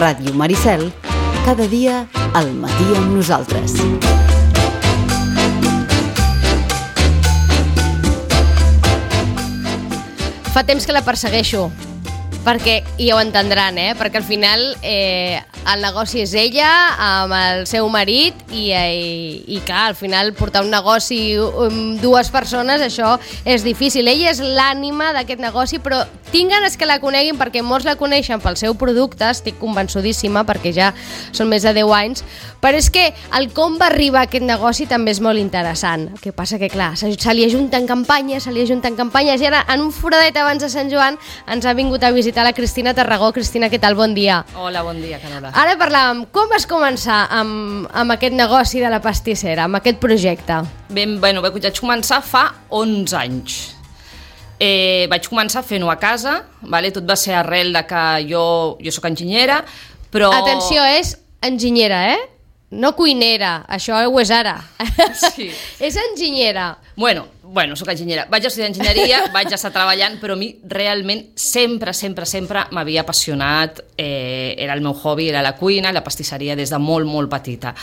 Ràdio Maricel, cada dia al matí amb nosaltres. Fa temps que la persegueixo, perquè, i ja ho entendran, perquè al final el negoci és ella amb el seu marit i clar, al final portar un negoci amb dues persones, això és difícil. Ella és l'ànima d'aquest negoci, però tinc ganes que la coneguin perquè molts la coneixen pel seu producte, estic convençudíssima perquè ja són més de 10 anys, però és que el com va arribar a aquest negoci també és molt interessant. El que passa que, clar, se li ajunten campanyes, i ara, en un foradet abans de Sant Joan, ens ha vingut a visitar la Cristina Tarragó. Cristina, què tal? Bon dia. Hola, bon dia, Carola. Ara parlàvem, com vas començar amb aquest negoci de la pastissera, amb aquest projecte? Bueno, vaig començar fa 11 anys. Vaig començar fent-ho a casa, vale? Tot va ser arrel de que jo soc enginyera, però... Atenció, és enginyera, No cuinera, això ho és ara. Sí. És enginyera. Bueno, soc enginyera. Vaig estudiar enginyeria, vaig estar treballant, però a mi realment sempre m'havia apassionat, era el meu hobby, era la cuina, la pastisseria des de molt, molt petita.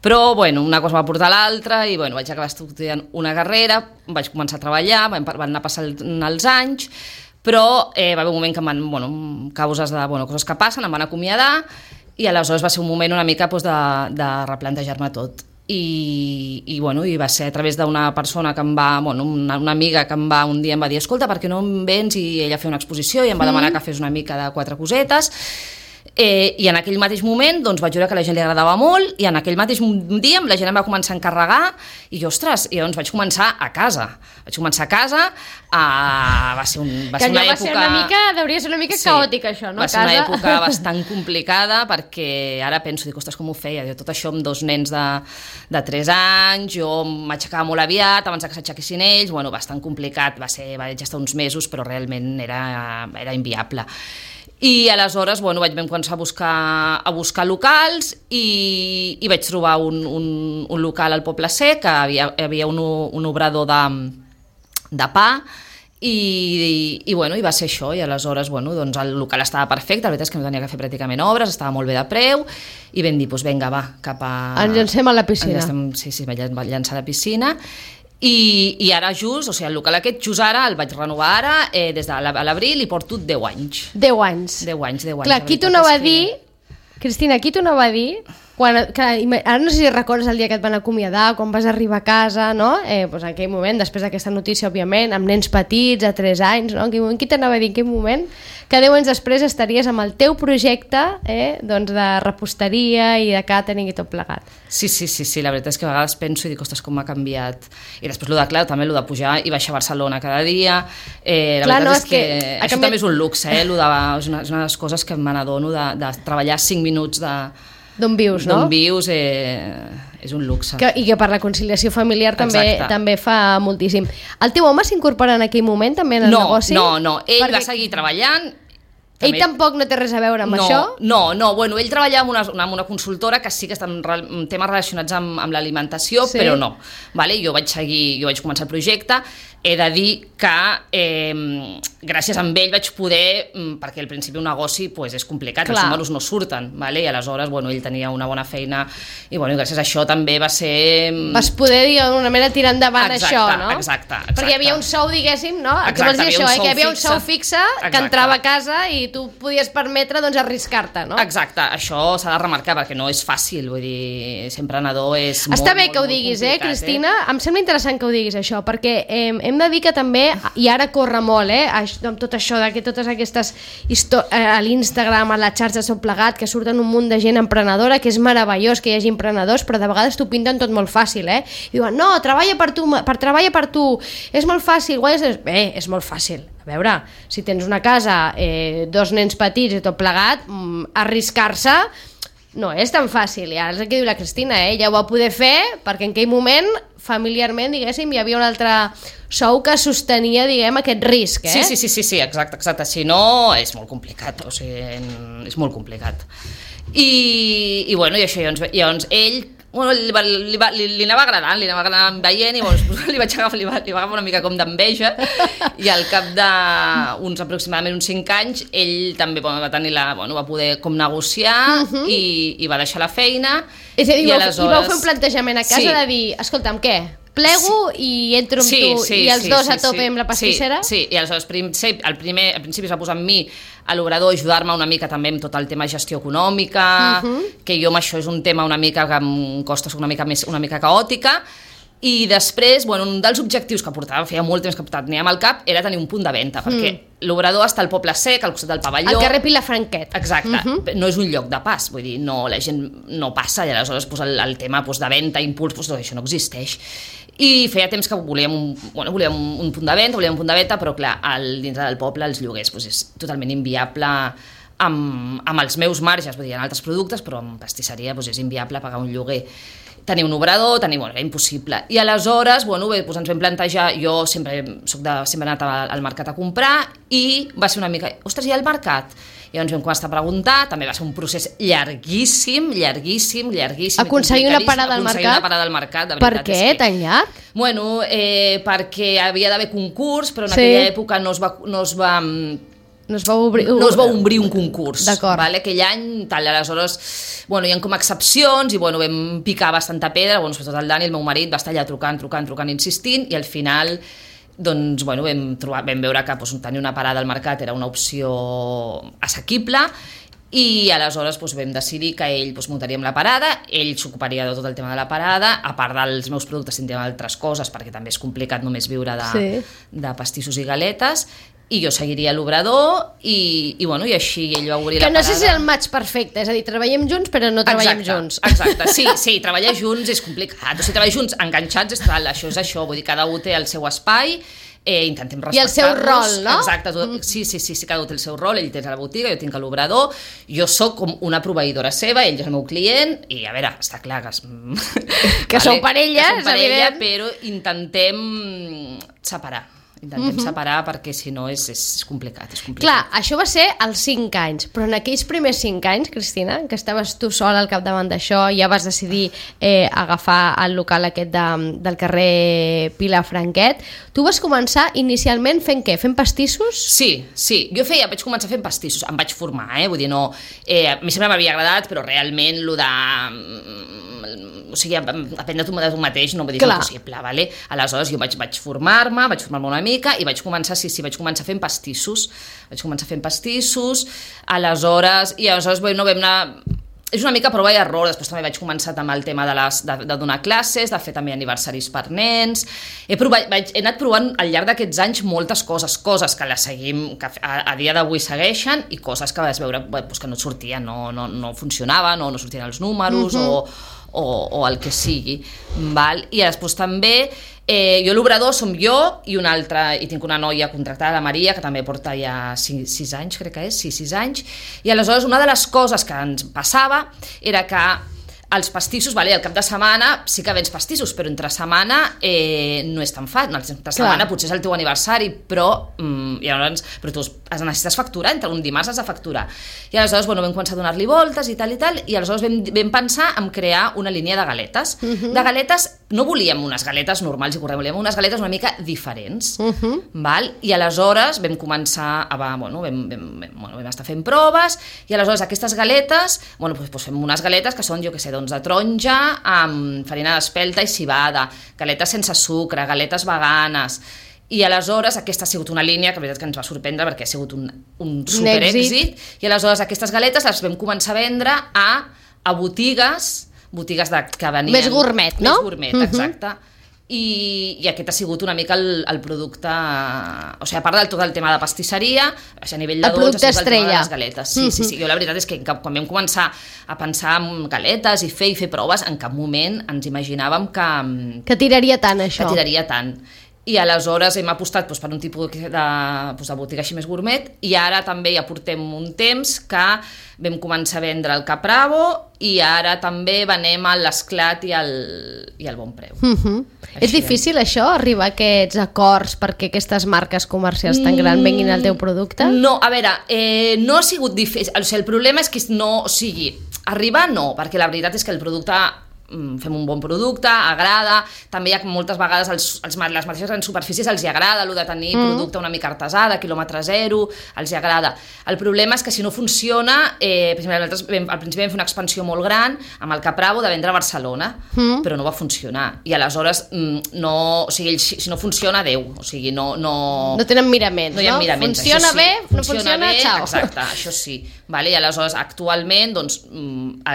Però, una cosa va portar a l'altra i, vaig acabar estudiant una carrera, vaig començar a treballar, van anar passant els anys, però va haver un moment que causes de coses que passen, em van acomiadar, i aleshores va ser un moment una mica de replantejar-me tot. I va ser a través d'una persona que em va, una amiga que un dia em va dir, escolta, per què no em vens i ella fer una exposició, i em va demanar que fes una mica de 4 cosetes, i en aquell mateix moment vaig veure que a la gent li agradava molt, i en aquell mateix dia la gent em va començar a encarregar, i vaig començar a casa. Va ser una època... Deuria ser una mica caòtica, això, no? Va ser una època bastant complicada, perquè ara penso, ostres, com ho feia? Tot això amb 2 nens de 3 anys, jo m'aixecava molt aviat, abans que s'aixequessin ells, bastant complicat, vaig estar uns mesos, però realment era inviable. I aleshores vaig començar a buscar locals i vaig trobar un local al Poble Sec, que hi havia un obrador de pa, i va ser això. I aleshores el local estava perfecte, la veritat és que no tenia que fer pràcticament obres, estava molt bé de preu, i vam dir, vinga, va, cap a... Ens llancem a la piscina. Sí, vaig llançar a la piscina. I ara el local aquest just ara el vaig renovar ara, des de l'abril, i porto 10 anys. 10 anys. 10 anys. Clar, qui t'ho anava a dir, Cristina, qui t'ho anava a dir, ara no sé si recordes el dia que et van acomiadar, quan vas arribar a casa, no? En aquell moment, després d'aquesta notícia, òbviament, amb nens petits, a 3 anys, no? Qui t'anava a dir en aquell moment que 10 anys després estaries amb el teu projecte de reposteria i de càtering i tot plegat? Sí, la veritat és que a vegades penso i dic, ostres, com m'ha canviat. I després també el de pujar i baixar a Barcelona cada dia. La veritat és que això també és un luxe, és una de les coses que me n'adono de treballar 5 minuts d'on vius, no? D'on vius és un luxe. I que per la conciliació familiar també fa moltíssim. El teu home s'incorpora en aquell moment també en el negoci? No, ell va seguir treballant. Ell tampoc no té res a veure amb això? No, ell treballa amb una consultora que sí que està en temes relacionats amb l'alimentació, però no. Jo vaig començar el projecte. He de dir que gràcies a ell vaig poder, perquè al principi un negoci és complicat, els números no surten, i aleshores ell tenia una bona feina i gràcies a això també va ser... Vas poder, d'alguna manera, tirar endavant això, no? Exacte. Perquè hi havia un sou, diguéssim, no? Que vols dir això, que hi havia un sou fixe que entrava a casa i tu podies permetre arriscar-te, no? Exacte, això s'ha de remarcar perquè no és fàcil, vull dir, ser emprenedor és molt, està bé que ho diguis, Cristina? Em sembla interessant que ho diguis, això, perquè hem de dir que també, i ara corre molt, amb tot això, que totes aquestes a l'Instagram, a les xarxes tot plegat, que surten un munt de gent emprenedora, que és meravellós que hi hagi emprenedors, però de vegades t'ho pinten tot molt fàcil, i diuen, no, treballa per tu, és molt fàcil, és molt fàcil. A veure, si tens una casa, 2 nens petits i tot plegat, arriscar-se no és tan fàcil, i ara és el que diu la Cristina, ella ho va poder fer perquè en aquell moment familiarment, diguéssim, hi havia un altre sou que sostenia, aquest risc, Sí, exacte, si no és molt complicat, és molt complicat. I això, llavors ell Bueno, li anava agradant veient i li va agafar una mica com d'enveja i al cap d'uns aproximadament uns 5 anys ell també va tenir va poder com negociar i va deixar la feina. És a dir, i vau fer un plantejament a casa de dir, escolta'm, què? Plego i entro amb tu i els dos a tope amb la pastissera? Sí, i aleshores al principi es va posar amb mi a l'obrador ajudar-me una mica també amb tot el tema de gestió econòmica, que jo amb això és un tema una mica que em costa, soc una mica caòtica, i després, un dels objectius que feia molt temps que teníem al cap era tenir un punt de venda, perquè l'obrador està al Poble Sec, al costat del pavelló. Al carrer Vilafranquet. Exacte. No és un lloc de pas, vull dir, la gent no passa i aleshores el tema de venda, impuls, això no existeix. I feia temps que volíem un punt de venda, però clar, dintre del poble els lloguers és totalment inviable amb els meus marges, vull dir, en altres productes, però en pastisseria és inviable pagar un lloguer. Tenir un obrador, era impossible. I aleshores, ens vam plantejar, jo sempre he anat al mercat a comprar i va ser una mica, ostres, hi ha el mercat? I llavors vam començar a preguntar, també va ser un procés llarguíssim. Aconseguir una parada al mercat? Per què, tan llarg? Perquè havia d'haver concurs, però en aquella època no es va obrir un concurs. Vale? Aquell any, aleshores, hi ha com excepcions i vam picar bastanta pedra, sobretot el Dani, el meu marit, va estar allà trucant, insistint, i al final vam veure que tenir una parada al mercat era una opció assequible, i aleshores vam decidir que ell muntaríem la parada, ell s'ocuparia de tot el tema de la parada, a part dels meus productes tindríem altres coses, perquè també és complicat només viure de pastissos i galetes, i jo seguiria l'obrador i així ell va obrir la parada. Que no sé si és el match perfecte, és a dir, treballem junts però no treballem junts. Exacte, sí, treballar junts és complicat, treballar junts enganxats és tal, això és això, vull dir, cada un té el seu espai, intentem respectar-nos. I el seu rol, no? Exacte, sí, cada un té el seu rol, ell té a la botiga, jo tinc a l'obrador, jo sóc com una proveïdora seva, ell és el meu client, i a veure, està clar que sou parella, és evident, però intentem separar perquè si no és complicat. Clar, això va ser als 5 anys, però en aquells primers 5 anys, Cristina, que estaves tu sola al capdavant d'això, ja vas decidir agafar el local aquest del carrer Vilafranquet, tu vas començar inicialment fent què? Fent pastissos? Sí, vaig començar fent pastissos, em vaig formar, vull dir, no, a mi sempre m'havia agradat, però realment aprendre tu mateix no vull dir impossible, vale? Aleshores jo vaig formar-me una mica i vaig començar fent pastissos. Aleshores vam anar... És una mica prova i error, després també vaig començar amb el tema de donar classes, de fer també aniversaris per nens. He anat provant al llarg d'aquests anys moltes coses que les seguim, que a dia d'avui segueixen, i coses que vas veure que no et sortien, no funcionaven, o no sortien els números, o el que sigui. Val? I després també jo l'obrador som jo i una altra, i tinc una noia contractada, la Maria, que també porta ja 6 anys, crec que és, 6 anys, i aleshores una de les coses que ens passava era que els pastissos, al cap de setmana sí que vens pastissos, però entre setmana no és tan fàcil, entre setmana potser és el teu aniversari, però tu has necessites facturar, entre un dimarts has de facturar, i aleshores vam començar a donar-li voltes i tal, i aleshores vam pensar en crear una línia de galetes. De galetes no volíem unes galetes normals i corrents, volíem unes galetes una mica diferents, val? I aleshores vam començar vam estar fent proves, i aleshores aquestes galetes, fem unes galetes que són, jo què sé, de taronja amb farina d'espelta i civada, galetes sense sucre, galetes veganes, i aleshores aquesta ha sigut una línia que la veritat que ens va sorprendre perquè ha sigut un superèxit, i aleshores aquestes galetes les vam començar a vendre a botigues que venien... Més gourmet, no? Més gourmet, exacte. I aquest ha sigut una mica el producte, o sigui, a part del tot el tema de pastisseria, a nivell de dolç, el tema de les galetes. Sí. Jo la veritat és que quan vam començar a pensar en galetes i fer proves, en cap moment ens imaginàvem que tiraria tant això. Que tiraria tant. I aleshores hem apostat per un tipus de botiga així més gourmet, i ara també ja portem un temps que vam començar a vendre el Capravo, i ara també venem l'Esclat i el Bon Preu. És difícil això, arribar a aquests acords perquè aquestes marques comercials tan grans venguin al teu producte? No, a veure, no ha sigut difícil, o sigui, el problema és que no sigui arribar no, perquè la veritat és que el producte fem un bon producte, agrada, també hi ha moltes vegades les mateixes grans superfícies els hi agrada el de tenir producte una mica artesà, de quilòmetre zero, els hi agrada. El problema és que si no funciona, per exemple, nosaltres al principi vam fer una expansió molt gran amb el Capravo de vendre a Barcelona, però no va funcionar, i aleshores o sigui, si no funciona, adeu, o sigui, no tenen miraments, no hi ha miraments, funciona bé, no funciona, xau. Exacte, això sí, vale? I aleshores actualment, doncs,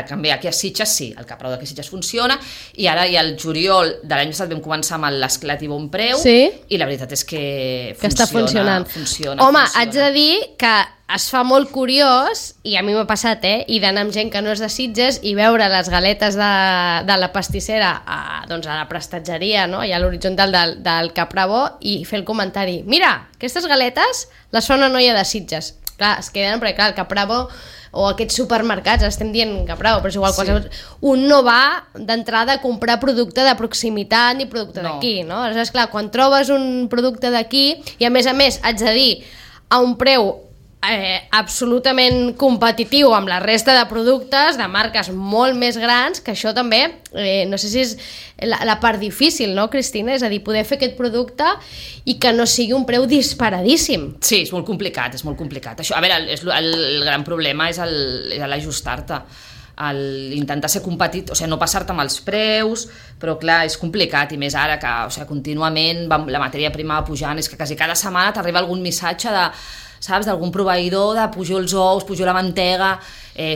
canviar aquí a Sitges sí, el Capravo d'aquí a Sitges funciona, i ara ja el juliol de l'any passat vam començar amb l'Esclat i Bon Preu, i la veritat és que està funcionant. Home, haig de dir que es fa molt curiós, i a mi m'ha passat, i d'anar amb gent que no és de Sitges i veure les galetes de la pastissera a la prestatgeria, no? Allà a l'horitzontal del Capravo, i fer el comentari: mira, aquestes galetes les fa una noia de Sitges. Clar, es queden, perquè clar, el Capravo o aquests supermercats, estem dient Capravo, però és igual, un no va d'entrada a comprar producte de proximitat ni producte d'aquí, no? Aleshores, clar, quan trobes un producte d'aquí, i a més, haig de dir, a un preu absolutament competitiu amb la resta de productes de marques molt més grans, que això també, no sé si és la part difícil, no, Cristina? És a dir, poder fer aquest producte i que no sigui un preu disparadíssim. Sí, és molt complicat, és molt complicat. Això, a veure, el gran problema és l'ajustar-te, intentar ser competit, o sigui, no passar-te amb els preus, però clar, és complicat, i més ara que, o sigui, contínuament la matèria prima va pujant, és que quasi cada setmana t'arriba algun missatge saps, d'algun proveïdor de pujo els ous, pujo la mantega,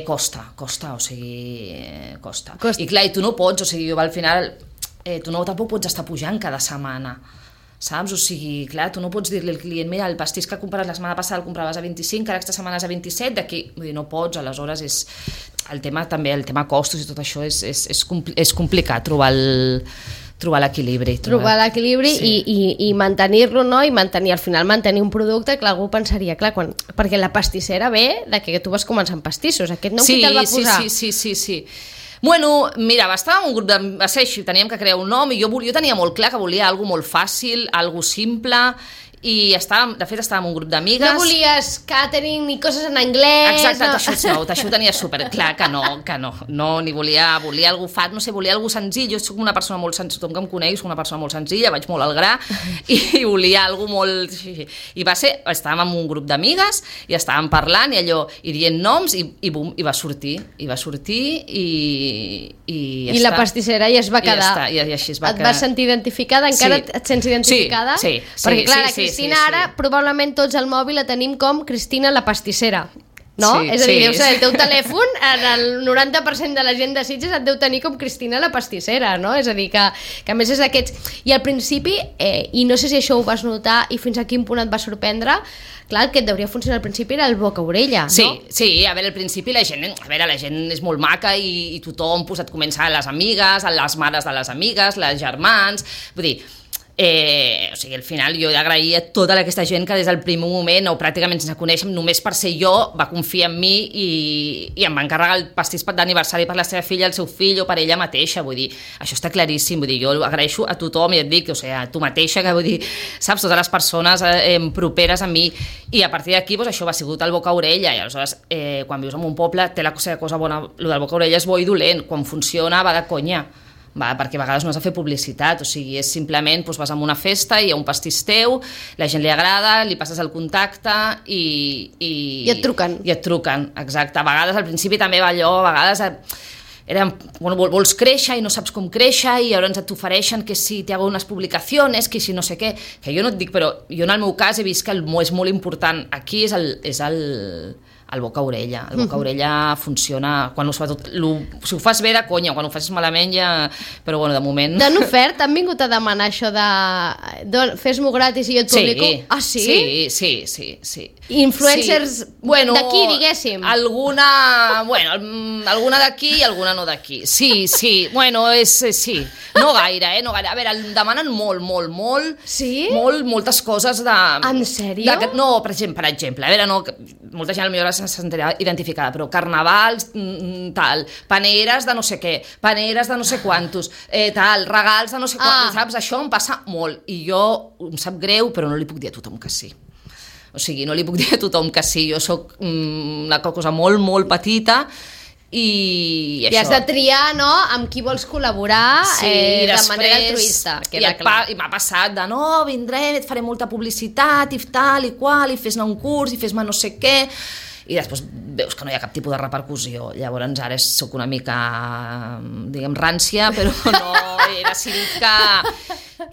costa, o sigui, costa. I clar, i tu no pots, o sigui, al final, tu tampoc pots estar pujant cada setmana, saps? O sigui, clar, tu no pots dir-li al client: mira, el pastís que compres la setmana passada el compraves a 25, que aquesta setmana és a 27, d'aquí, vull dir, no pots, aleshores és el tema costos i tot això és complicat trobar l'equilibri. Trobar l'equilibri, sí. I mantenir-lo, no? I al final mantenir un producte que algú pensaria, clar, perquè la pastissera ve de que tu vas començar amb pastissos, aquest nom qui te'l va posar? Sí. Bueno, mira, va estar un grup va ser així, teníem que crear un nom, i jo tenia molt clar que volia alguna molt fàcil, alguna simple, i de fet estàvem un grup d'amigues. No volies catering ni coses en anglès. Exacte, no. Això ho tenia superclar que no, ni volia algú fat, no sé, volia algú senzill. Jo soc una persona molt senzilla, tothom que em coneix, soc una persona molt senzilla, vaig molt al gra, i volia algú molt... I va ser, estàvem amb un grup d'amigues i estàvem parlant i dient noms, i bum, i va sortir i la pastissera ja es va quedar. I així es va quedar. Et vas sentir identificada? Encara et sents identificada? Sí. Perquè clar, la Cristina ara, probablement tots al mòbil la tenim com Cristina la pastissera, no? És a dir, deu ser el teu telèfon, el 90% de la gent de Sitges et deu tenir com Cristina la pastissera, no? És a dir, que a més és d'aquests... I al principi, i no sé si això ho vas notar i fins a quin punt et va sorprendre, clar, el que et deuria funcionar al principi era el boca-orella, no? Sí, a veure, al principi la gent és molt maca, i tothom et comença, les amigues, les mares de les amigues, les germans, vull dir... o sigui, al final jo he d'agrair a tota aquesta gent que des del primer moment, o pràcticament sense conèixer, només per ser jo, va confiar en mi i em va encarregar el pastís d'aniversari per la seva filla, el seu fill, o per ella mateixa. Vull dir, això està claríssim, vull dir, jo agraeixo a tothom, i et dic, o sigui, a tu mateixa, que vull dir, saps, totes les persones properes a mi, i a partir d'aquí, doncs, això va sigut el boca-orella, i aleshores, quan vius en un poble, té la cosa bona, el del boca-orella és bo i dolent, quan funciona va de conya, perquè a vegades no has de fer publicitat, o sigui, és simplement, vas a una festa, hi ha un pastís teu, la gent li agrada, li passes el contacte i et truquen. I et truquen, exacte. A vegades, al principi també va allò, a vegades vols créixer i no saps com créixer, i llavors t'ofereixen que si te hago unes publicacions, que si no sé què, que jo no et dic, però jo en el meu cas he vist que és molt important aquí és el boca-orella. El boca-orella funciona, sobretot, si ho fas bé de conya, quan ho fas malament ja... Però bueno, de moment... T'han ofert? T'han vingut a demanar això de fes-m'ho gratis i jo et publico? Ah, sí? Sí. Influencers d'aquí, diguéssim. Alguna d'aquí i alguna no d'aquí. Sí. Bueno, sí. No gaire, no gaire. A veure, em demanen molt. Sí? Moltes coses de... En sèrio? No, per exemple, a veure, no, molta gent potser se sentirà identificada, però carnavals, tal, paneres de no sé què, paneres de no sé quantos, tal, regals de no sé quantos, saps? Això em passa molt, i jo em sap greu, però no li puc dir a tothom que sí. O sigui, no li puc dir a tothom que sí. Jo sóc una cosa molt petita, i I això. has de triar, no?, amb qui vols col·laborar de manera altruista. I m'ha passat de, no, vindré, et faré molta publicitat i tal i qual, i fes-ne un curs, i fes-me no sé què, i després veus que no hi ha cap tipus de repercussió. Llavors ara sóc una mica, diguem, rància, però no, he decidit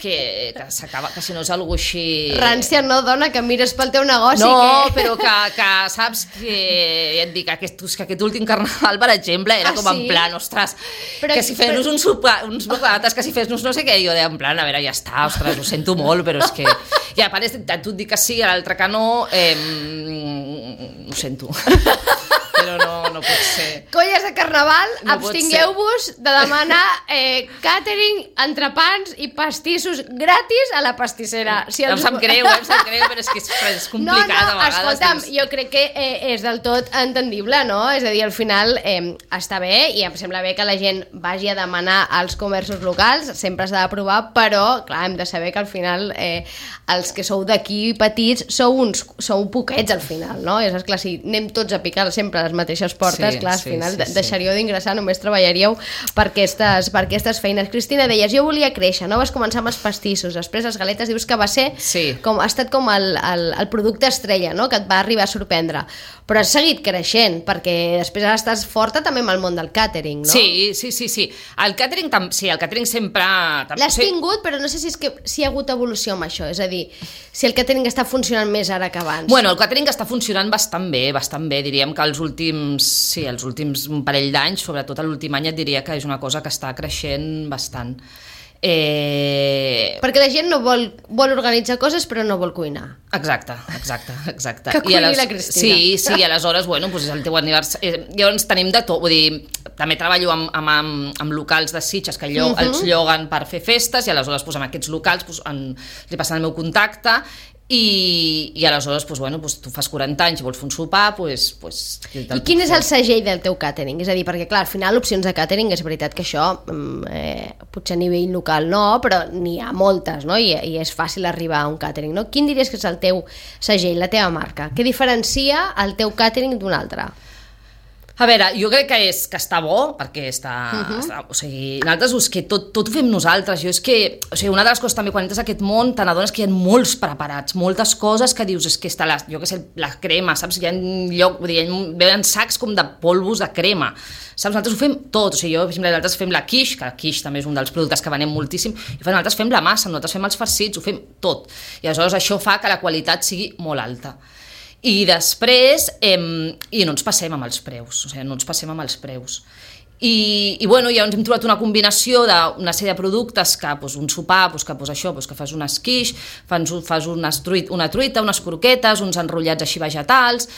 que s'acaba, que si no és algú així... Rància no, dona, que mires pel teu negoci. No, però que saps que, ja et dic, aquest últim carnaval, per exemple, era com en plan, ostres, que si fes-nos uns bocates, que si fes-nos no sé què, jo deia en plan, a veure, ja està, ostres, ho sento molt, però és que... I a part, tu et dic que sí, a l'altre que no, ho sento. Però no pot ser. Colles de carnaval, no abstingueu-vos de demanar càtering, entrepans i pastissos gratis a la pastissera. Si em sap greu, però és que és complicat a vegades. Escolta'm, jo crec que és del tot entendible, no? És a dir, al final està bé i em sembla bé que la gent vagi a demanar als comerços locals, sempre s'ha de provar, però clar, hem de saber que al final els que sou d'aquí petits sou poquets al final, no? És clar, si anem tots a picar sempre les mateixes portes, clar, al final deixaríeu d'ingressar, només treballaríeu per aquestes feines. Cristina, deies, jo volia créixer, no? Vas començar amb els pastissos, després les galetes dius que va ser ha estat com el producte estrella, no? Que et va arribar a sorprendre, però has seguit creixent, perquè després ara estàs forta també amb el món del càtering, no? Sí. El càtering sempre... L'has tingut, però no sé si hi ha hagut evolució amb això, és a dir, si el càtering està funcionant més ara que abans. Bueno, el càtering està funcionant bastant bé, diríem que els últims un parell d'anys, sobretot l'últim any, et diria que és una cosa que està creixent bastant. Perquè la gent no vol organitzar coses però no vol cuinar. Exacte. Que cuini la Cristina. Sí, aleshores, bueno, doncs és el teu aniversari. Llavors tenim de tot, vull dir, també treballo amb locals de Sitges que els lloguen per fer festes, i aleshores amb aquests locals li passen el meu contacte, i aleshores tu fas 40 anys i vols fer un sopar, I quin és el segell del teu càtering? És a dir, perquè clar, al final opcions de càtering, és veritat que això potser a nivell local no, però n'hi ha moltes, no? I és fàcil arribar a un càtering, no? Quin diries que és el teu segell, la teva marca? Què diferencia el teu càtering d'un altre? A veure, jo crec que està bo, perquè o sigui, nosaltres és que tot ho fem nosaltres. Jo és que, o sigui, una de les coses també quan entres a aquest món te n'adones que hi ha molts preparats, moltes coses que dius, és que està la crema, saps? Hi ha lloc, vull dir, veuen sacs com de polvos de crema, saps? Nosaltres ho fem tot, o sigui, jo, per exemple, nosaltres fem la quiche, que la quiche també és un dels productes que venem moltíssim, i nosaltres fem la massa, nosaltres fem els farcits, ho fem tot, i aleshores això fa que la qualitat sigui molt alta. I després, i no ens passem amb els preus, o sigui, I bueno, ja ens hem trobat una combinació d'una sèrie de productes que, un sopar, que fas un esquix, fas una truita, unes croquetes, uns enrotllats així vegetals,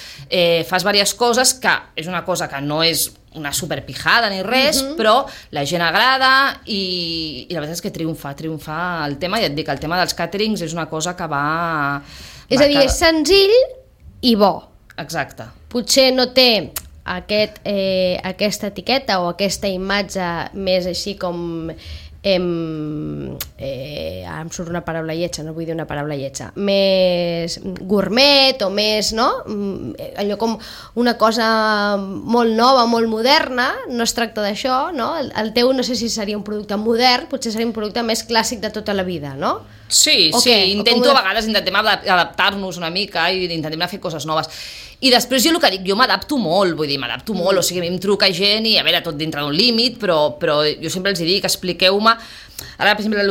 fas diverses coses que és una cosa que no és una superpijada ni res, però la gent agrada i la veritat és que triomfa el tema, i et dic, el tema dels càterings és una cosa que va... És a dir, és senzill i bo. Exacte. Potser no té aquesta etiqueta o aquesta imatge més així com ara em surt una paraula lletja, no vull dir una paraula lletja, més gourmet o més, no? Allò com una cosa molt nova, molt moderna, no es tracta d'això, no? El teu no sé si seria un producte modern, potser seria un producte més clàssic de tota la vida, no? Sí, intento a vegades adaptar-nos una mica i intentem fer coses noves. I després jo el que dic, jo m'adapto molt, o sigui, a mi em truca gent i a veure, tot dintre d'un límit, però jo sempre els dic, expliqueu-me, ara per exemple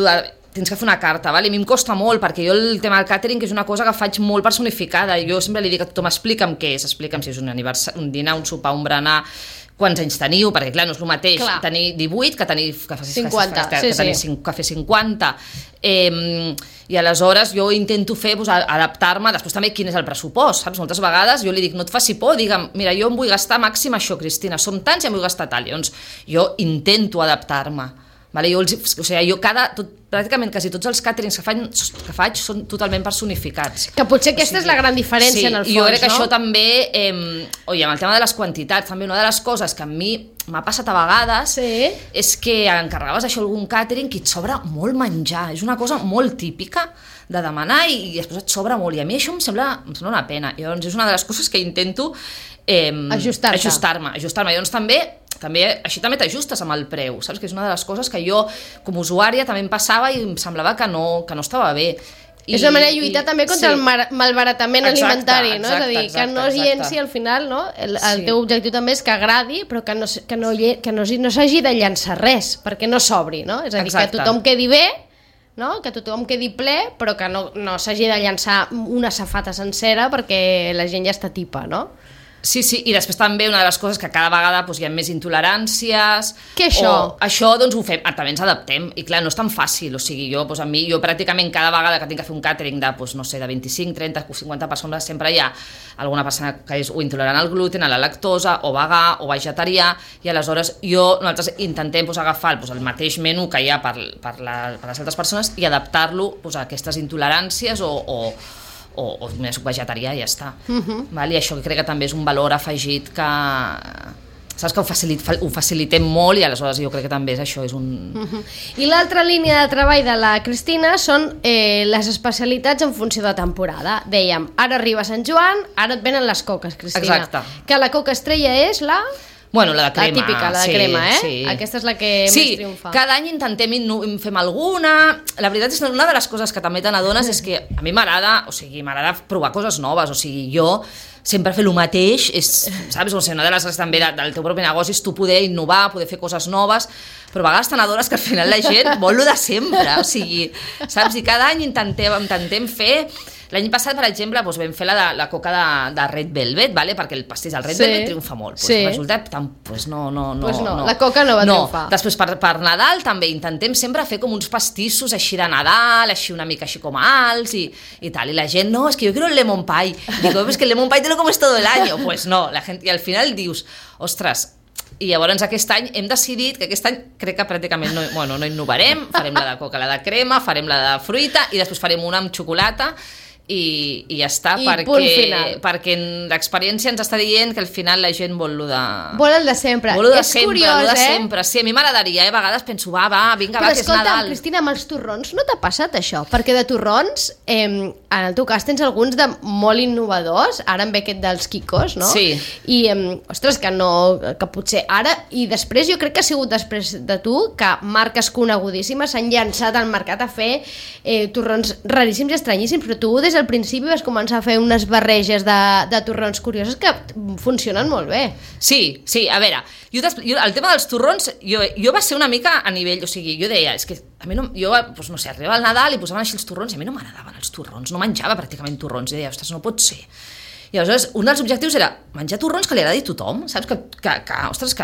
tens que fer una carta, vale? A mi em costa molt, perquè jo el tema del càtering és una cosa que faig molt personificada, jo sempre li dic a tothom, explica'm què és, explica'm si és un aniversari, un dinar, un sopar, un berenar, quants anys teniu, perquè clar, no és el mateix tenir 18 que tenir 50, que fer 50, i aleshores jo intento fer, adaptar-me, després també quin és el pressupost, saps? Moltes vegades jo li dic, no et faci por, digue'm, mira, jo em vull gastar màxim això, Cristina, som tants i em vull gastar tal, llavors jo intento adaptar-me. Vale? Pràcticament quasi tots els càterings que faig són totalment personificats. Que potser aquesta és la gran diferència en el fons, no? Jo crec que això també, amb el tema de les quantitats, també una de les coses que a mi m'ha passat a vegades és que encarregaves això a algun càtering i et sobra molt menjar, és una cosa molt típica de demanar i després et sobra molt, i a mi això em sembla una pena. I llavors és una de les coses que intento ajustar-me. Llavors també així també t'ajustes amb el preu, saps? Que és una de les coses que jo com a usuària també em passava i em semblava que no estava bé. És una manera de lluitar també contra el malbaratament alimentari, no? És a dir, que no es llenci al final, no? El teu objectiu també és que agradi, però que no s'hagi de llençar res, perquè no sobri, no? És a dir, que tothom quedi bé, no? Que tothom quedi ple, però que no s'hagi de llançar una safata sencera perquè la gent ja està tipa, no? Sí, i després també una de les coses que cada vegada hi ha més intoleràncies. Què això? Això doncs ho fem, també ens adaptem, i clar, no és tan fàcil, o sigui, jo pràcticament cada vegada que tinc que fer un càtering de 25, 30, 50 persones, sempre hi ha alguna persona que és o intolerant al gluten, a la lactosa, o vegà, o vegetarià, i aleshores nosaltres intentem agafar el mateix menú que hi ha per les altres persones i adaptar-lo a aquestes intoleràncies o més vegetarià i ja està. Val? I això crec que també és un valor afegit que... Saps que ho facilitem molt i aleshores jo crec que també és això, és un... I l'altra línia de treball de la Cristina són les especialitats en funció de temporada. Dèiem, ara arriba Sant Joan, ara et venen les coques, Cristina. Exacte. Que la coca estrella és la... Bueno, la de crema. La típica, la de crema, eh? Sí. Aquesta és la que més triomfa. Sí, cada any intentem fem alguna... La veritat és que una de les coses que també te n'adones és que a mi m'agrada provar coses noves, o sigui, jo sempre fer el mateix, saps? O sigui, una de les coses també del teu propi negoci és tu poder innovar, poder fer coses noves, però a vegades te n'adones que al final la gent vol lo de sempre, o sigui, saps? I cada any intentem fer... L'any passat, per exemple, vam fer la coca de Red Velvet, vale? Perquè el pastís del Red Velvet triomfa molt. Resulta que no. La coca no va triomfar. Després, per Nadal, també intentem sempre fer com uns pastissos així de Nadal, així una mica així com alts i tal. I la gent, no, es que yo quiero el lemon pie. Digo, es que el lemon pie te lo comes todo el año. Pues no, la gent, i al final dius, ostres, i llavors aquest any hem decidit que aquest any crec que pràcticament no innovarem, farem la de coca, la de crema, farem la de fruita i després farem una amb xocolata i ja està, perquè l'experiència ens està dient que al final la gent vol el de sempre. Curiós, sempre. Sí, a mi m'agradaria, a vegades penso, vinga, que és Nadal. Però escolta, Cristina, amb els torrons no t'ha passat això? Perquè de torrons, en el teu cas tens alguns de molt innovadors, ara en ve aquest dels Kikos, no? Sí. I, ostres, que potser ara, i després jo crec que ha sigut després de tu, que marques conegudíssimes s'han llançat al mercat a fer torrons raríssims i estranyíssims, però tu des del principi vas començar a fer unes barreges de torrons curiosos que funcionen molt bé. Sí, a veure, jo el tema dels torrons, jo va ser una mica a nivell, o sigui, jo deia, és que a mi arribava el Nadal i posaven així els torrons i a mi no m'agradaven els torrons, no menjava pràcticament torrons, i deia, ostres, no pot ser. I aleshores un dels objectius era menjar torrons que li agradi a tothom, saps? Ostres,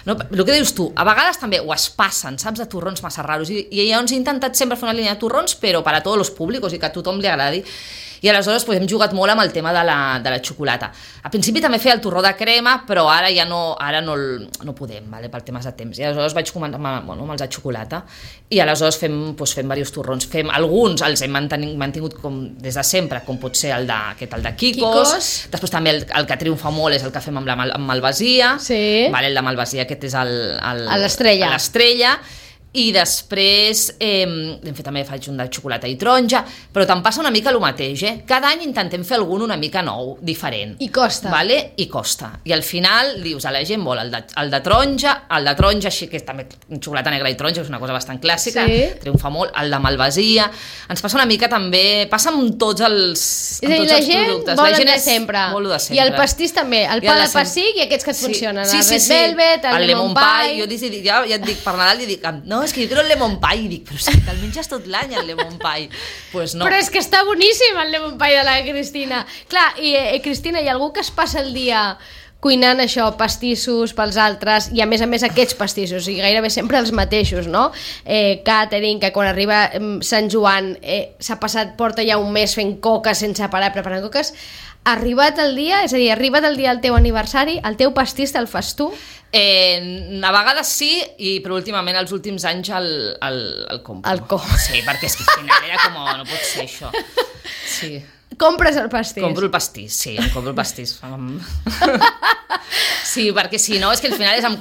no, el que dius tu, a vegades també ho es passen, saps, de torrons massa raros, i llavors he intentat sempre fer una línia de torrons però per a tots els públics i que a tothom li agradi. I aleshores hem jugat molt amb el tema de la xocolata. Al principi també feia el torró de crema, però ara ja no podem, vale, per temes de temps. I aleshores vaig començar amb els de xocolata i aleshores fem diversos torrons. Alguns els hem mantingut com des de sempre, com pot ser el de Kikos. Després també el que triomfa molt és el que fem amb malvasia. Sí. Vale, el de malvasia aquest és l'estrella. I després també faig un de xocolata i taronja, però te'n passa una mica el mateix, cada any intentem fer algun una mica nou, diferent, i costa, vale? I costa, i al final dius a la gent vol el de taronja així que és també xocolata negra i taronja, és una cosa bastant clàssica, triomfa molt, el de malvasia, ens passa una mica també, passa amb tots els productes, la gent de sempre, i el pastís també, el pa de pessic i aquests que et funcionen, el Red Velvet, el lemon pie. Jo ja et dic, per Nadal dic, no, és que jo quiero el lemon pie, i dic, però és que te'l menges tot l'any el lemon pie. Pues no. Però és que està boníssim el lemon pie de la Cristina. Clar, i Cristina, hi ha algú que es passa el dia cuinant això, pastissos pels altres, i a més aquests pastissos, i gairebé sempre els mateixos, no? Catering, que quan arriba Sant Joan porta ja un mes fent coques sense parar preparant coques. Arribat el dia, és a dir, arribat el dia del teu aniversari, el teu pastís te'l fas tu? A vegades sí, però últimament, els últims anys el compro. Sí, perquè és que al final era com, no pot ser això. Sí. Compres el pastís? Compro el pastís, sí, compro el pastís. Sí, perquè si no, és que al final em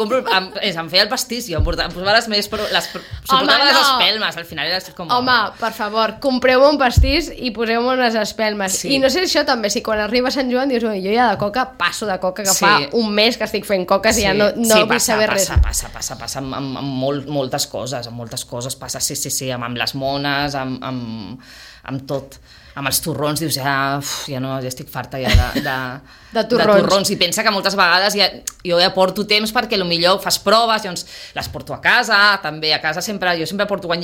feia el pastís, jo em posava les espelmes, al final era com... Home, per favor, compreu-me un pastís i poseu-me unes espelmes. Sí. I no sé això també, si quan arriba Sant Joan dius, jo ja de coca passo de coca, que fa un mes que estic fent coques i ja no vull saber res. Passa amb moltes coses passa, sí, amb les mones, amb tot. Amb els torrons dius, ja estic farta de torrons. I pensa que moltes vegades jo ja porto temps perquè potser fas proves, llavors les porto a casa, també a casa jo sempre porto, quan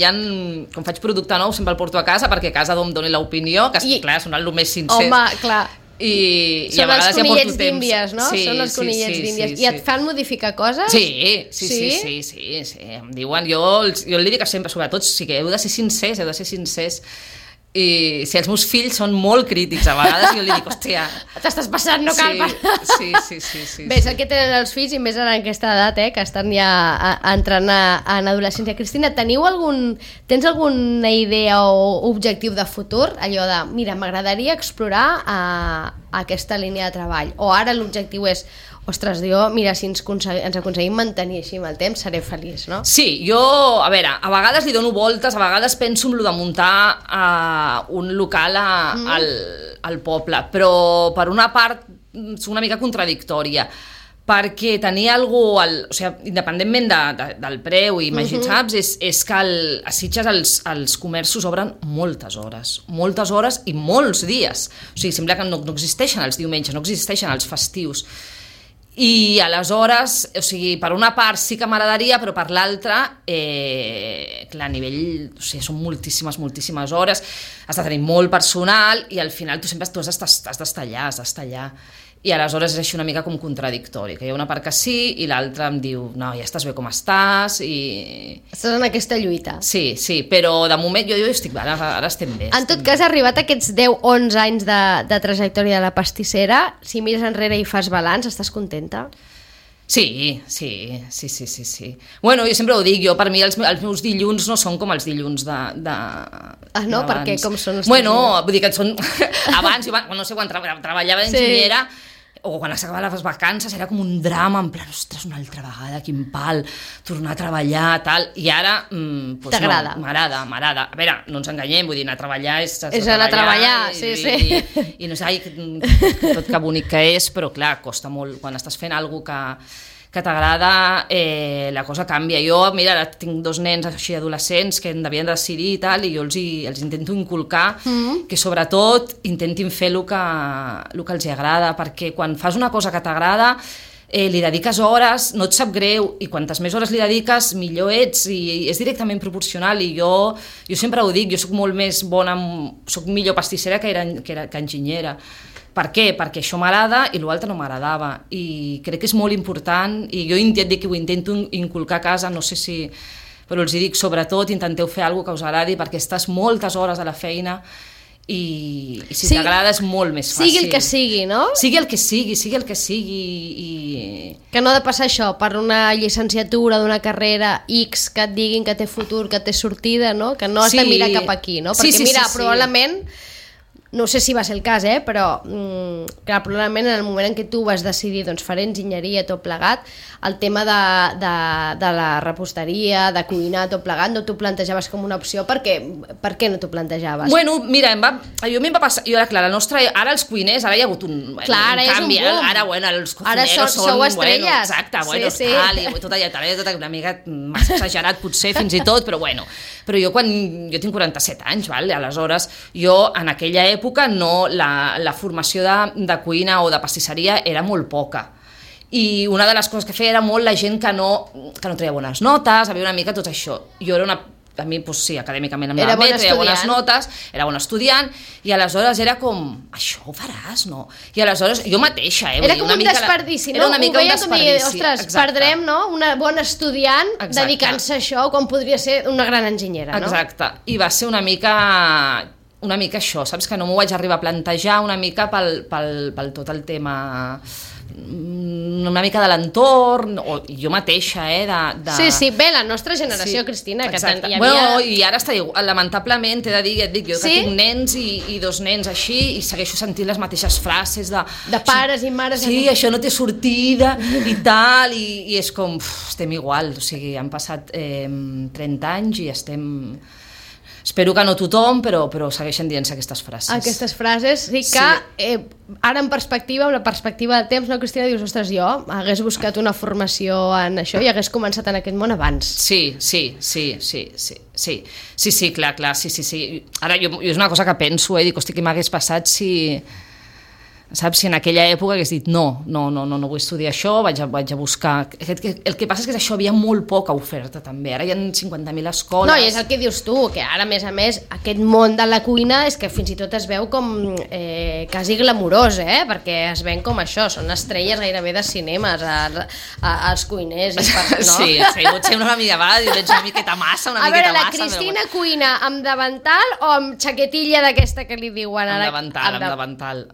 faig producte nou sempre el porto a casa perquè a casa em doni l'opinió, que clar, són el més sincers. Home, clar. I a vegades ja porto temps. D'Índies, no? Sí, són els conillets d'Índies. I et fan modificar coses? Sí. Em diuen, jo li dic sempre, sobretot, sí que heu de ser sincers. I si els meus fills són molt crítics a vegades, jo li dic, hòstia... T'estàs passant, no cal passar. Sí. Bé, és el que tenen els fills, i més en aquesta edat, que estan ja entrant en adolescència. Cristina, tens alguna idea o objectiu de futur? Allò de, mira, m'agradaria explorar aquesta línia de treball. O ara l'objectiu és, ostres, mira, si ens aconseguim mantenir així amb el temps, seré feliç, no? Sí, jo, a veure, a vegades li dono voltes, a vegades penso en lo de muntar un local al poble, però per una part és una mica contradictòria, perquè tenir alguna cosa, o sigui, independentment del preu, saps, és que a Sitges els comerços obren moltes hores i molts dies. O sigui, sembla que no existeixen els diumenges, no existeixen els festius. I aleshores, o sigui, per una part sí que m'agradaria, però per l'altra, clar, a nivell, o sigui, són moltíssimes hores, has de tenir molt personal i al final tu sempre has d'estar allà. I aleshores és així una mica com contradictori, que hi ha una part que sí i l'altra em diu, no, ja estàs bé com estàs i... Estàs en aquesta lluita. Sí, però de moment jo estic bé, ara estem bé. En tot cas, arribat a aquests 10-11 anys de trajectòria de la pastissera, si mires enrere i fas balanç, estàs contenta? Sí. Bueno, jo sempre ho dic, per mi els meus dilluns no són com els dilluns no? Per què? Com són els Bueno, vull dir que són... Abans, no sé, quan treballava d'enginyera, o quan s'acabaven les vacances era com un drama, en plan, ostres, una altra vegada, quin pal, tornar a treballar, tal, i ara... T'agrada? No, m'agrada. A veure, no ens enganyem, vull dir, anar a treballar és anar a treballar, sí. I no sé, tot que bonic que és, però clar, costa molt, quan estàs fent alguna que t'agrada, la cosa canvia. Jo, mira, ara tinc 2 nens així adolescents que devien decidir i tal, i jo els intento inculcar que sobretot intentin fer el que els agrada, perquè quan fas una cosa que t'agrada li dediques hores, no et sap greu, i quantes més hores li dediques millor ets, i és directament proporcional. I jo sempre ho dic, jo soc molt més bona, soc millor pastissera que enginyera. Per què? Perquè això m'agrada i l'altre no m'agradava, i crec que és molt important, i jo ho intento inculcar a casa, no sé si... però els dic, sobretot, intenteu fer alguna cosa que us agradi, perquè estàs moltes hores a la feina i si t'agrada és molt més fàcil. Sigui el que sigui, no? Sigui el que sigui. Que no ha de passar això per una llicenciatura d'una carrera X que et diguin que té futur, que té sortida, no? Que no has de mirar cap aquí, no? Perquè mira, probablement... No sé si va ser el cas, però clar, probablement en el moment en què tu vas decidir faré enginyeria tot plegat, el tema de la reposteria, de cuinar tot plegat, no t'ho plantejaves com una opció. Per què no t'ho plantejaves? Bueno, mira, a mi em va passar... Clar, ara els cuiners, ara hi ha hagut un canvi. Ara, els cocineros són... Sou estrelles. Exacte, tal, i tot allà, tot una mica massa exagerat potser fins i tot, però bueno. Però jo tinc 47 anys, aleshores jo en aquella època la formació de cuina o de pastisseria era molt poca, i una de les coses que feia era molt la gent que no treia bones notes, havia una mica tot això. Jo era a mi, sí, acadèmicament em anava bé, treia bones notes, era bon estudiant, i aleshores era com, això ho faràs, no? I aleshores, jo mateixa, era com un desperdici, no? Ho veia com dir, ostres, perdrem, no? Una bona estudiant dedicant-se a això, quan podria ser una gran enginyera, no? Exacte, i va ser una mica una mica això, saps? Que no m'ho vaig arribar a plantejar una mica pel tot el tema una mica de l'entorn, o jo mateixa, Sí, bé, la nostra generació, sí, Cristina, que hi havia... Bueno, i ara està igual, lamentablement, t'he de dir, jo que tinc nens i dos nens així, i segueixo sentint les mateixes frases de pares i mares... Sí, això no té sortida, i tal, i és com, estem igual, o sigui, han passat 30 anys i estem... Espero que no tothom, però segueixen dient-se aquestes frases. Aquestes frases, sí que ara en perspectiva, amb la perspectiva del temps, no, Cristina, dius, ostres, jo hagués buscat una formació en això i hagués començat en aquest món abans. Sí, clar, sí. Ara jo és una cosa que penso, dic, hosti, què m'hagués passat si... Saps? Si en aquella època hagués dit no vull estudiar això, vaig a buscar... El que passa és que això havia molt poca oferta també, ara hi ha 50.000 escoles... No, i és el que dius tu, que ara a més aquest món de la cuina és que fins i tot es veu com quasi glamurós, perquè es ven com això, són estrelles gairebé de cinemes als cuiners i no? Sí, potser una mica va, veig una miqueta massa, una miqueta massa... A veure, la Cristina cuina amb davantal o amb xaquetilla d'aquesta que li diuen ara? Amb davantal.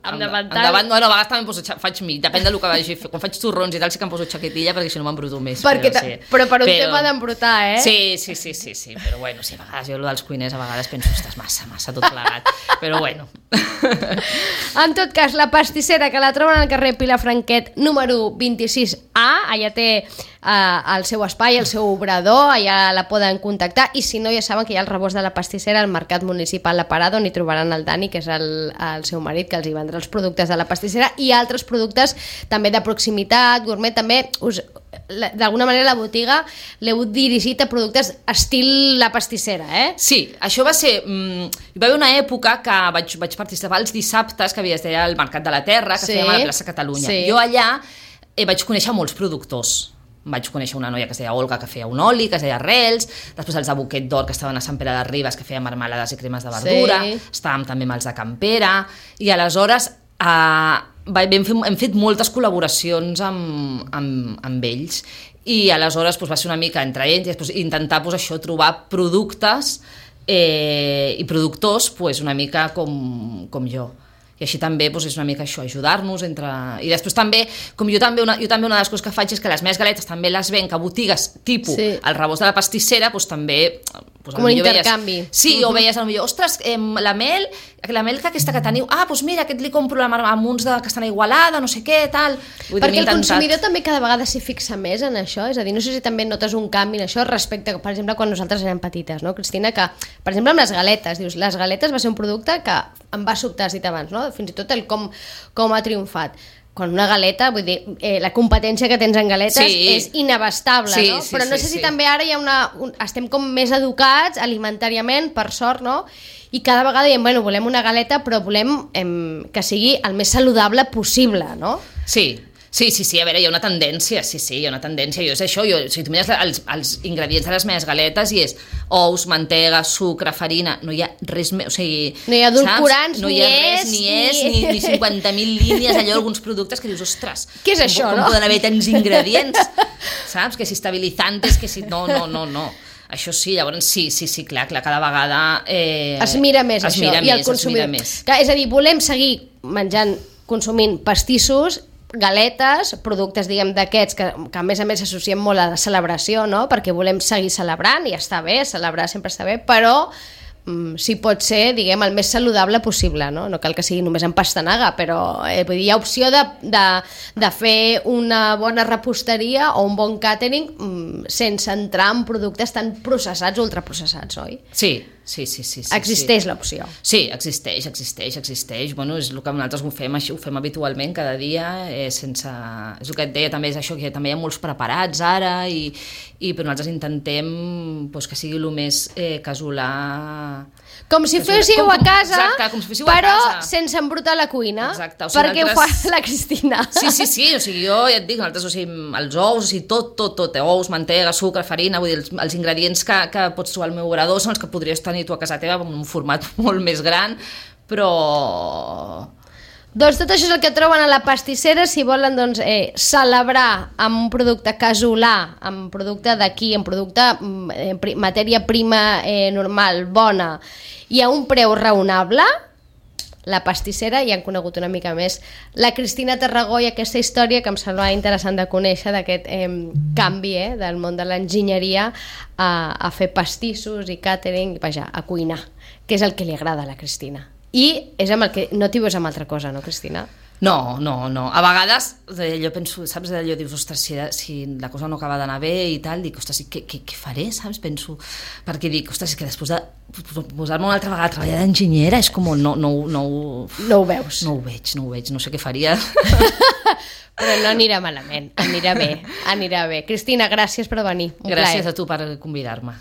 Bueno, a vegades també faig depèn del que vagi a fer. Quan faig torrons i tal sí que em poso xaquetilla perquè si no m'embruto més. Però per un tema d'embrutar, Sí, però bueno, sí, a vegades jo dels cuiners a vegades penso, ostres, massa tot plegat, però bueno. En tot cas, la pastissera, que la troben al carrer Pilar Franquet número 26A, allà té el seu espai, el seu obrador, allà la poden contactar, i si no ja saben que hi ha el rebost de la pastissera al Mercat Municipal La Parada, on hi trobaran el Dani, que és el seu marit, que els hi vendrà els productes de la pastissera i altres productes també de proximitat, gourmet, també d'alguna manera la botiga l'heu dirigit a productes estil la pastissera, Sí, això va ser... Hi va haver una època que vaig participar els dissabtes, que es deia el Mercat de la Terra, que fèiem a la plaça Catalunya. Sí. Jo allà vaig conèixer molts productors. Vaig conèixer una noia que es deia Olga, que feia un oli, que es deia Arrels, després els de Boquet d'Or, que estaven a Sant Pere de Ribes, que feien marmelades i cremes de verdura, estàvem també amb els de Campera, i aleshores hem fet moltes col·laboracions amb ells, i aleshores va ser una mica entre ells, i intentar trobar productes i productors una mica com jo. I així també és una mica això, ajudar-nos entre... I després també, jo també una de les coses que faig és que les meves galetes també les venc a botigues tipus el rebost de la pastissera, també... Com un intercanvi. Sí, o veies potser, ostres, la mel que aquesta que teniu, mira, aquest li compro amb uns que estan a Igualada, no sé què, tal... Perquè el consumidor també cada vegada s'hi fixa més en això, és a dir, no sé si també notes un canvi en això respecte, per exemple, quan nosaltres érem petites, no, Cristina, que, per exemple, amb les galetes, dius, les galetes va ser un producte que em va sobtar, has dit abans, no? Fins i tot el com ha triomfat. Quan una galeta, vull dir, la competència que tens en galetes és inabastable, no? Però no sé si també ara hi ha estem com més educats alimentàriament, per sort, no? I cada vegada diem, bueno, volem una galeta, però volem que sigui el més saludable possible, no? Sí, a veure, hi ha una tendència, hi ha una tendència, és això, si tu mires els ingredients de les meves galetes i és ous, mantega, sucre, farina, no hi ha res més, o sigui... No hi ha edulcorants, no hi ha res, ni 50.000 línies, allò, alguns productes que dius, ostres, què és això, no? Com poden haver tants ingredients, saps? Que si estabilitzantes, que si... No. Això sí, llavors sí, clar, cada vegada... Es mira més això, i el consumidor. És a dir, volem seguir consumint pastissos, galetes, productes, diguem, d'aquests que a més s'associen molt a la celebració, no? Perquè volem seguir celebrant i està bé, celebrar sempre està bé, però si pot ser, diguem, el més saludable possible, no? No cal que sigui només en pastanaga, però vull dir, hi ha opció de fer una bona reposteria o un bon catering sense entrar en productes tan processats o ultraprocessats, oi? Sí. Existeix l'opció. Sí, existeix. Bueno, és el que nosaltres ho fem habitualment cada dia, sense... És el que et deia, també és això, que també hi ha molts preparats ara, però nosaltres intentem que sigui el més casolà... Com si féssiu a casa, exacte, com si féssiu però a casa. Sense embrutar la cuina. Exacte. O sigui, perquè ho fa la Cristina. Sí, o sigui, jo ja et dic, nosaltres, o sigui, els ous, o sigui, tot, ous, mantega, sucre, farina, vull dir, els ingredients que pots trobar al meu obrador són els que podries tenir tu a casa teva en un format molt més gran, però Doncs tot això és el que troben a la pastissera si volen doncs, celebrar amb un producte casolà, amb producte d'aquí, amb producte matèria prima normal, bona i a un preu raonable. La pastissera, i han conegut una mica més la Cristina Tarragó i aquesta història que em sembla interessant de conèixer, d'aquest canvi del món de l'enginyeria a fer pastissos i càtering, vaja, a cuinar, que és el que li agrada a la Cristina. I és amb el que no t'hi veus amb altra cosa, no, Cristina? No. A vegades jo penso, saps, allò dius, ostres, si la cosa no acaba d'anar bé i tal, dic, ostres, què faré, saps? Penso, perquè dic, ostres, és que després de posar-me una altra vegada a treballar d'enginyera és com no ho veus. No ho veig, no sé què faria. Però no anirà malament, anirà bé. Cristina, gràcies per venir. Gràcies a tu per convidar-me.